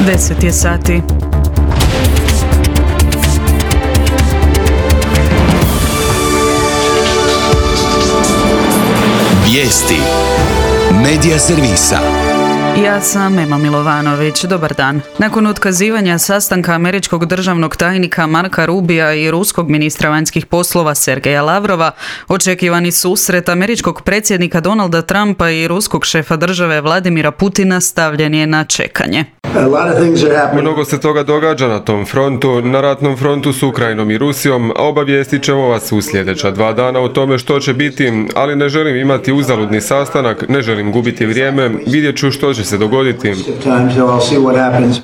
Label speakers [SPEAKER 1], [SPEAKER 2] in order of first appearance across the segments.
[SPEAKER 1] 10 je sati.
[SPEAKER 2] Vijesti Medija servisa.
[SPEAKER 1] Ja sam Ema Milovanović. Dobar dan. Nakon otkazivanja sastanka američkog državnog tajnika Marka Rubija i ruskog ministra vanjskih poslova Sergeja Lavrova, očekivani susret američkog predsjednika Donalda Trumpa i ruskog šefa države Vladimira Putina stavljen je na čekanje.
[SPEAKER 3] Mnogo se toga događa na tom frontu, na ratnom frontu s Ukrajinom i Rusijom, a obavijestit ćemo vas u sljedeća 2 dana o tome što će biti, ali ne želim imati uzaludni sastanak, ne želim gubiti vrijeme, vidjet ću što će se dogoditi.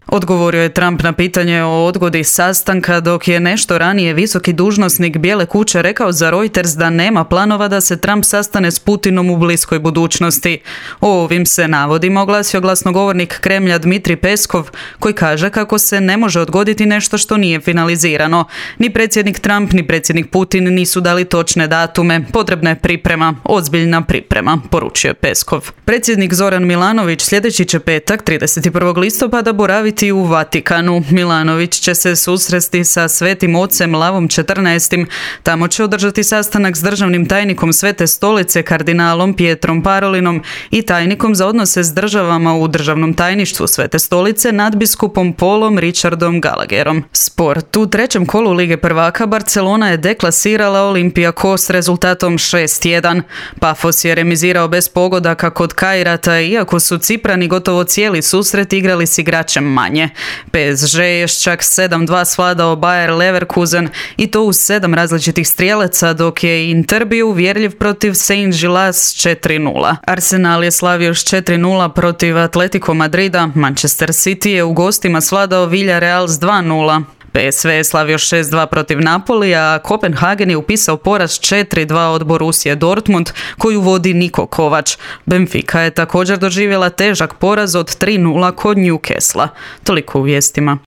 [SPEAKER 1] Odgovorio je Trump na pitanje o odgodi sastanka, dok je nešto ranije visoki dužnosnik Bijele kuće rekao za Reuters da nema planova da se Trump sastane s Putinom u bliskoj budućnosti. O ovim se navodima oglasio glasnogovornik Kremlja Dmitrij Peskov, koji kaže kako se ne može odgoditi nešto što nije finalizirano. Ni predsjednik Trump, ni predsjednik Putin nisu dali točne datume. Potrebna je priprema, ozbiljna priprema, poručio je Peskov. Predsjednik Zoran Milanović sljedeći će petak, 31. listopada, boraviti u Vatikanu. Milanović će se susresti sa Svetim ocem Lavom XIV. Tamo će održati sastanak s državnim tajnikom Svete stolice kardinalom Pietrom Parolinom i tajnikom za odnose s državama u državnom tajništvu Svete stolice nadbiskupom Paulom Richardom Gallagherom. Sport. U trećem kolu Lige prvaka Barcelona je deklasirala Olympiakos s rezultatom 6-1. Pafos je remizirao bez pogodaka kod Kairata, iako su Ciprani gotovo cijeli susret igrali s igračem manje. PSG je čak 7-2 svladao Bayer Leverkusen i to uz 7 različitih strijelaca, dok je Inter bio uvjerljiv protiv Saint-Gilloise 4-0. Arsenal je slavio s 4-0 protiv Atletico Madrida. Manchester City je u gostima svladao Villarreal s 2-0. PSV je slavio 6-2 protiv Napolija, a Kopenhagen je upisao poraz 4-2 od Borussije Dortmund, koju vodi Niko Kovač. Benfica je također doživjela težak poraz od 3-0 kod Newcastle. Toliko u vijestima.